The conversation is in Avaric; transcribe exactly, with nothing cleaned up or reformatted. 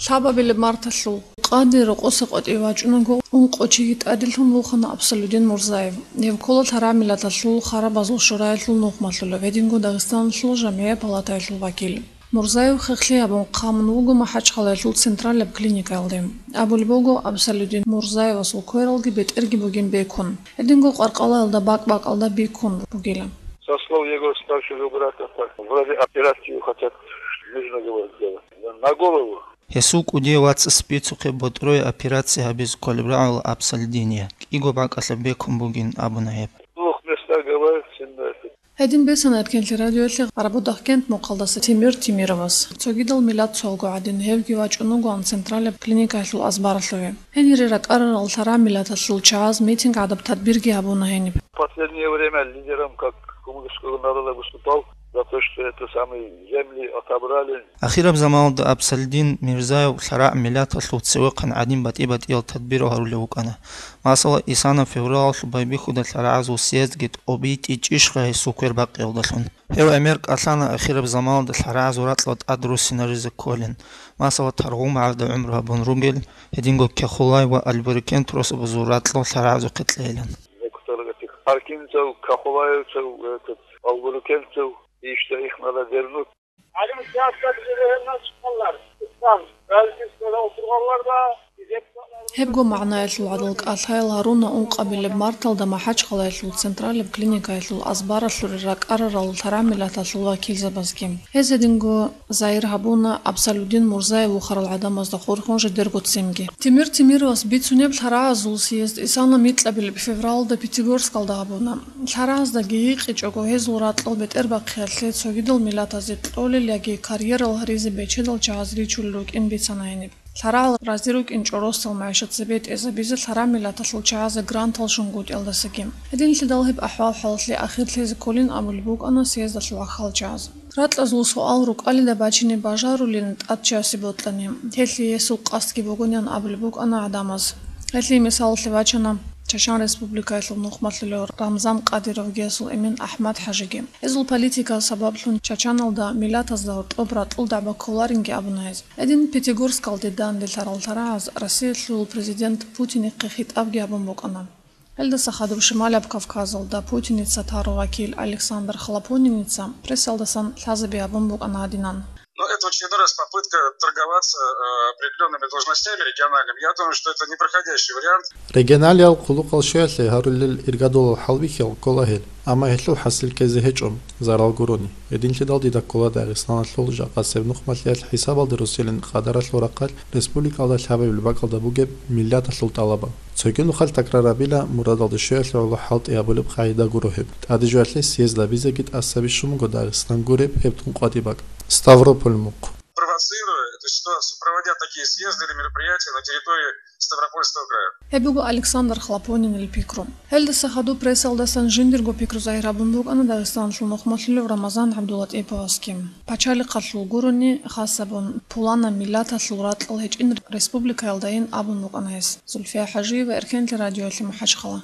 Лъабабилеб марталъул къаде рокъоса къватӀиве вачӀунаго, ункъо чиги тӀаделъун вухана Абсалудин Мурзаев. Гьев ккола лъарагӀ миллаталъул харабазул шураялъул нухмалъулев, гьединго Дагъистаналъул жамгӀият палатаялъул вакил. Мурзаев хехлъи гьабун хъамун вуго МахӀачхъалаялъул централаб клиникаялде. Абулеб буго, Абсалудин Мурзаевасул квералги бетӀерги бугин бекун, гьединго къаркъалаялда бакӀ-бакӀалда бикун бугила. Со слов его старшего брата, так, вроде операцию хотят, нужно, говорит, делать. На голову. Гьесул кӀудияв вацас бицухъе ботӀрое операция гьабизе кколеб рагӀула Абсалудиние, кӀиго бакӀалъа бекун бугин абуна гьеб. Двух местах, говорит, сильно это. Гьедин бицана Эркенлъи радиоялъе Гъарабудахъкент мухъалдаса Тимир Тимировас. Цогидал миллат цолго гӀадин, гьевги вачӀун вугоан централаб клиникаялъул азбаралъуве. Гьенире ракӀарарал лъарагӀ миллаталъул чагӀаз митинг гӀадаб тадбирги гьабуна гьениб. Последнее время лидером как кумыкского народа выступал за то, что это самые земли отобрали. Ахираб заманалда Абсалудин Мирзаев лъарагӀ миллаталъул цевехъан гӀадин батӀи-батӀиял тадбирал гьарулев вукӀана. Масала, исана февралалъул байбихьуда лъарагӀазул съездги тӀобитӀичӀищха гьесул квер бакъиялдалъун. Гьев гӀемер кӀалъана ахираб заманалда лъарагӀазул ракьал тӀад руссинаризе кколин, масала, Таргъумагьарда гӀумру гьабун ругел, гьединго Кяхулай ва Албурикент росабазул ракьал лъарагӀазухъе кьейилан. Некоторых этих аркинцев, кахулаевцев, этот, албурикенцев, и что их надо вернуть. Гьебго магӀнаялъул гӀадал кӀалъаял гьаруна ункъабилеб марталда МахӀачхъалаялъул централаб клиникаялъул азбаралъуре ракӀарарал лъарагӀ миллаталъул вакилзабазги. Гьез гьединго загьир гьабуна Абсалудин Мурзаев вухарал гӀадамазда хурхун жидерго ццинги. Тимир Тимировас бицунеб лъарагӀазул съезд исана микьабилеб февралда Пятигорскалда гьабуна. ЛъарагӀаздаги гьикъичӀого гьезул ракьал бетӀербахъиялъе цогидал миллатазе кьолел яги карьерал гьаризе бечедал чагӀаз ричулел рукӀин бицана гьениб. ЛъарагӀал рази рукӀинчӀо росдал магӀишат цебетӀезабизе лъарагӀ миллаталъул чагӀазе грантал щунгутӀиялдасаги. Гьединлъидал гьеб ахӀвал-хӀалалъе ахирлъизе кколин абулеб букӀана съездалъул ахӀвалчагӀаз. Ракьазул суал рукӀалида бачине бажарулин тӀадчасе бокьани, гьелъие гьесул къасдги бугонян абулеб букӀана гӀадамаз. Гьелъие мисалалъе бачана Чачан Республикаялъул нухмалъулев Рамзан Къадировги гьесул эмен АхӀмад-хӀажиги. Гьезул политикаялъ сабаблъун Чачаналда миллатазда гьоркьоб ракьул дагӀба кколаринги абуна гьез. Гьедин Пятигорскалде данде лъарал лъарагӀаз Россиялъул президент Путинихъе хитӀабги гьабун букӀана. Гьелдаса хадуб Шималаб Кавказалда Путиница тарав вакил Александр Хлопониница прессалдасан лъазаби гьабун букӀана гьадинан. Но это в очередной раз попытка торговаться, э, определёнными должностями региональными. Я думаю, что это непроходящий вариант. Регионалиял хъулухъал щвеялъе гьарулел иргадулал хӀалбихьал ккола гьел, амма гьелъул хӀасил ккезе гьечӀо, зарал гурони. Гьединлъидал дида ккола Дагъистаналъул жакъасеб нухмалъиялъ хӀисабалде росилин къадаралъул рахъалъ республикалда лъабабилеб бакӀалда бугеб миллаталъул тӀалабал. Цоги нухалъ такрарабила, мурадалда щвеялъе гӀоло хӀалтӀи гьабулеб къагӀида гуро гьеб. ТӀадежвалъе съезд абизеги тӀасабищун буго Дагъистан гуреб гьеб тун къватӀиб бакӀ. Ставрополь мухъ. Провоцируя эту ситуацию, проводя такие съезды или мероприятия на территории Ставропольского края. Гьеб буго Александр Хлопонинил пикру. Гьелдаса хадуб прессалдасан жиндирго пикру загьир гьабун букӀана Дагъистаналъул нухмалъулев Рамазан ГӀабдулатӀиповасги. Пачалихъалъул гурони, хасабун, пуланаб миллаталъул ракьал гьечӀин республикаялдайин абун букӀана гьес. Зульфия ХӀажиева, Эркенлъи радиоялъе МахӀачхъала.